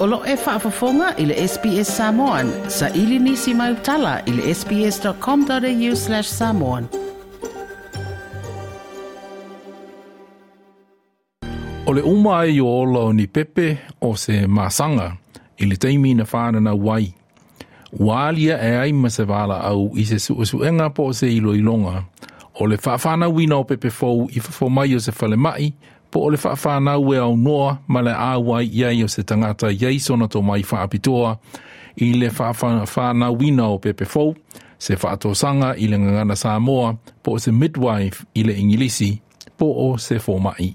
O lo o e faafofoga i le SBS Samoan, saili nisi mau tala i le sbs.com.au/samoan. O le uma ai o ola o ni pepe o se masaga i le taimi na whananau ai. Ua alia e ai ma se valaau i se suesuega po o se iloiloga o le faafanauina o pepe fou i fafo mai o se falemai po o le faafanau e aunoa ma le auai i ai o se tagata i ai sona tomai faapitoa i le faafanauina o pepe fou, se faatosaga i le gagana Samoa po o se midwife i le Igilisi po o se fomai.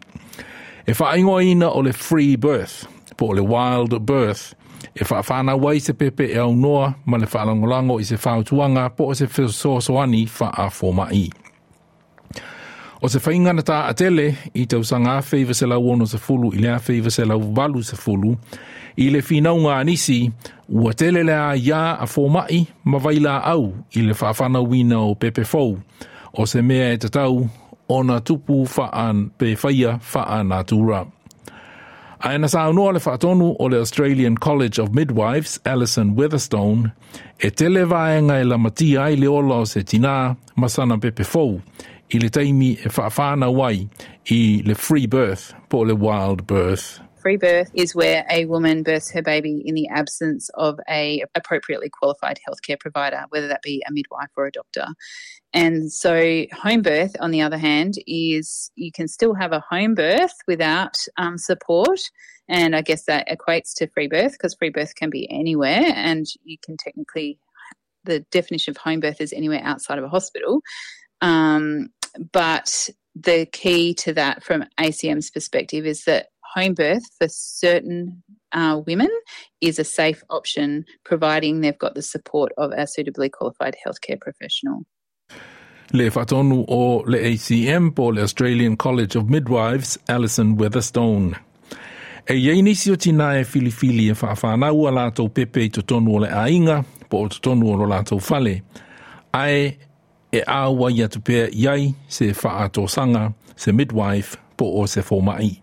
E faaigoaina o le free birth po o le wild birth e faafanau ai se pepe e aunoa ma le faalagolago i se fautuaga po o se fesoasoani faafomai. O se faiga na taatele i tausaga 1960 i le 1980 i le finauga a nisi ua tele le aiā a fomai ma vailaau i le faafanauina o pepe fou o se mea e tatau ona tupu faa pe faia faanatura. Ae na saunoa le faatonu o le Australian College of Midwives, Alison Weatherstone, e tele vaega e lamatia ai le ola o se tinā ma sana pepe fou i le taimi e faafanau ai i le free birth po o le wild birth. Free birth is where a woman births her baby in the absence of a appropriately qualified healthcare provider, whether that be a midwife or a doctor. And so home birth, on the other hand, is you can still have a home birth without support. And I guess that equates to free birth because free birth can be anywhere and you can technically, the definition of home birth is anywhere outside of a hospital. But the key to that from ACM's perspective is that home birth for certain women is a safe option, providing they've got the support of a suitably qualified healthcare professional. Le faatonu o le ACM po o le Australian College of Midwives, Alison Weatherstone. E i ai nisi o tinā e filifili e faafanau a latou pepe i totonu o le aiga po o totonu o lo latou fale, ae e auai atu pea i ai se faatosaga, se midwife po o se fomai.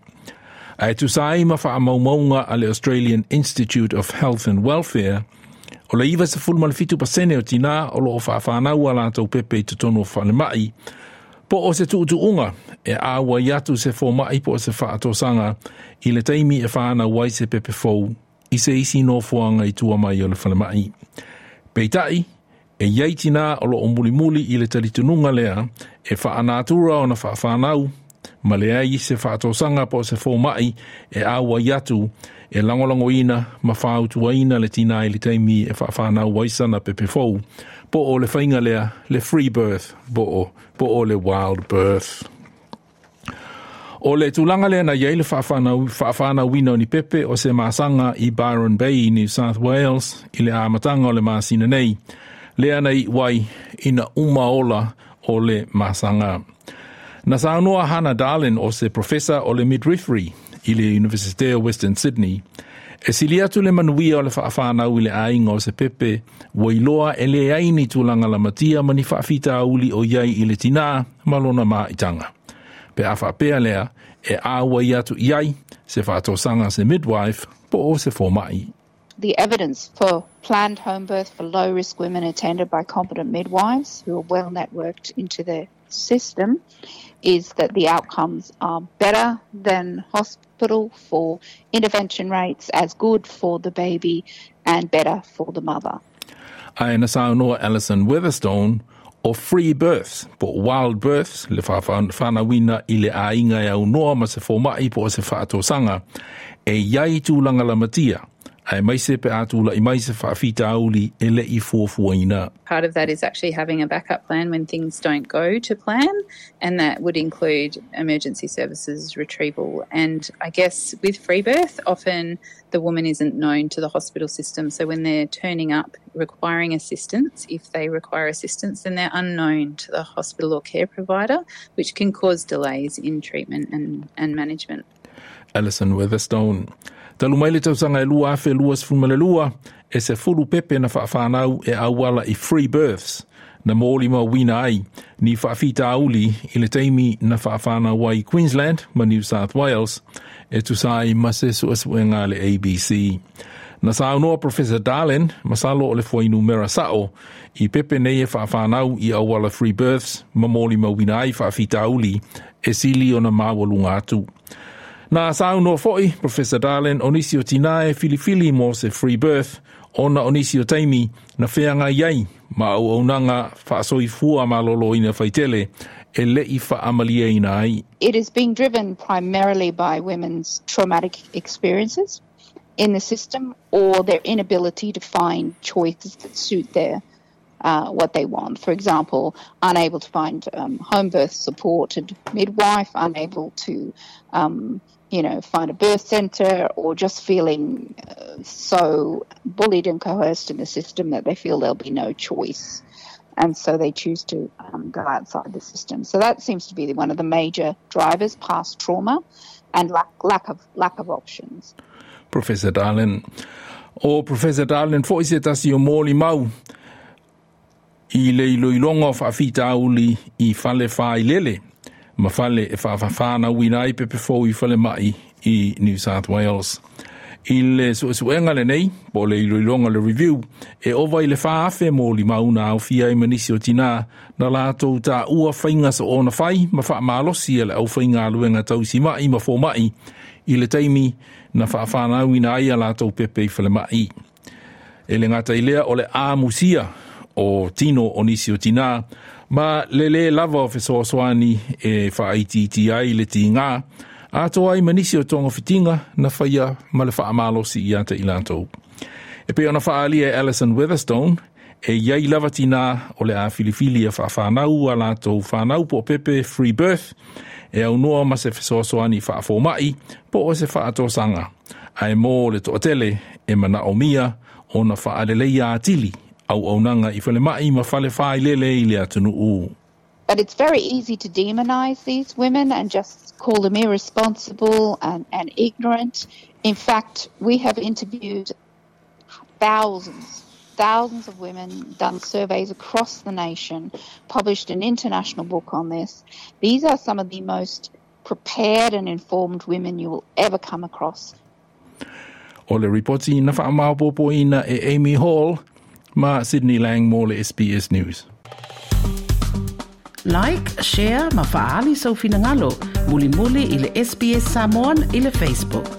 Ae tusa ai ma faamaumauga a le Australian Institute of Health and Welfare, o le 97% o tinā o lo o faafanau a latou pepe i totonu o falemai, po o se tuutuuga e auai atu se fomai po o se faatosaga i le taimi e fanau ai se pepe fou i se isi nofoaga i tua mai o le falemai. Peitai, e i ai tinā o lo o mulimuli i le talitonuga lea e faanatura ona faafanau ma leai se faatosaga po o se fomai e auai atu e lagolagoina ma fautuaina le tinā i le taimi e faafanau ai sana pepe fou, po o le faiga lea le free birth po o le wild birth. O le tulaga lea na i ai le faafanauina o ni pepe o se masaga i Byron Bay, New South Wales, i le amataga o le masina nei, lea na iu ai ina uma ola o le masaga. Na saunoa Hannah Dahlen o se profesa o le midwifery i le Universite o Western Sydney, e sili atu le manuia o le faafanau i le aiga o se pepe ua iloa e leai ni tulaga lamatia ma ni faafitauli o i ai i le tinā ma lona maitaga. Pe a faapea lea, e auai atu i ai se faatosaga se midwife po o se fomai. The evidence for planned home birth for low-risk women attended by competent midwives who are well networked into the system is that the outcomes are better than hospital for intervention rates, as good for the baby and better for the mother. Ae na saunoa Alison Weatherstone o free births po o wild births le faafanauina i le aiga e aunoa ma se fomai po o se faatosaga e i ai tulaga lamatia aemaise pe a tula'i mai se faafitauli e le'i fuafuaina. Part of that is actually having a backup plan when things don't go to plan, and that would include emergency services retrieval. And I guess with free birth, often the woman isn't known to the hospital system, so when they're turning up requiring assistance, if they require assistance, then they're unknown to the hospital or care provider, which can cause delays in treatment and management. Alison Weatherstone. Talu mai le tausaga e 2022, e 10 pepe na faafanau e auala i free births, Na molimauina ai ni faafitauli i le taimi na faafānau ai Queensland ma New South Wales e tusa ai ma se suesuega a le ABC. Na saunoa Professor Darlin, masalo o le fuainumera sa'o, i pepe nei e faafānau i auala free births ma molimauina ai faafitauli e sili ona maualuga atu. Na saunoa fo'i Professor Darlin o nisi o tinā e filifili mo se free birth ona o nisi o taimi na feagai ai ma auaunaga faasoifua malōlōina faitele e le'i faamalieina ai. It is being driven primarily by women's traumatic experiences in the system or their inability to find choices that suit their what they want. For example, unable to find home birth supported midwife, unable to find a birth centre, or just feeling so bullied and coerced in the system that they feel there'll be no choice. And so they choose to go outside the system. So that seems to be one of the major drivers, past trauma and lack of options. Professor Darlin. O Professor Darlin fo'i se tasi o molimau i le iloiloga o faafitauli i fale failele ma fale e faafānauina ai pepe fou i falema'i i New South Wales. I le suesuega lenei, po le iloiloga le review, e ova i le 4,000 molimau na aofia ai ma nisi o tinā na latou taua faiga soona fai ma faamalosi e le aufaigaluega tausima'i ma foma'i i le taimi na faafānauina ai a latou pepe i falema'i. E le gata i lea o le amusia o tino o nisi o tinā, ma le lē lava o fesoasoani e faaitiitia ai le tigā, atoa ai ma nisi o togafitiga na faia ma le faamalosi ia te i latou. E pei ona faaalia e Alison Weatherstone, e iai lava tinā o le a filifili e faafānau a latou fanau po o pepe free birth, e aunoa ma se fesoasoani faafoma'i po o se faatosaga, ae mo le toatele e manaomia ona faaleleia atili auaunaga i falema'i ma fale failele i le atunuu. But it's very easy to demonize these women and just call them irresponsible and ignorant. In fact, we have interviewed thousands, thousands of women, done surveys across the nation, published an international book on this. These are some of the most prepared and informed women you will ever come across. O le ripoti na faamaopoopoina e Amy Hall ma Sydney Lang mo le SBS News. Like, share ma faaali sou finagalo. Mulimuli i le SBS Samoan i le Facebook.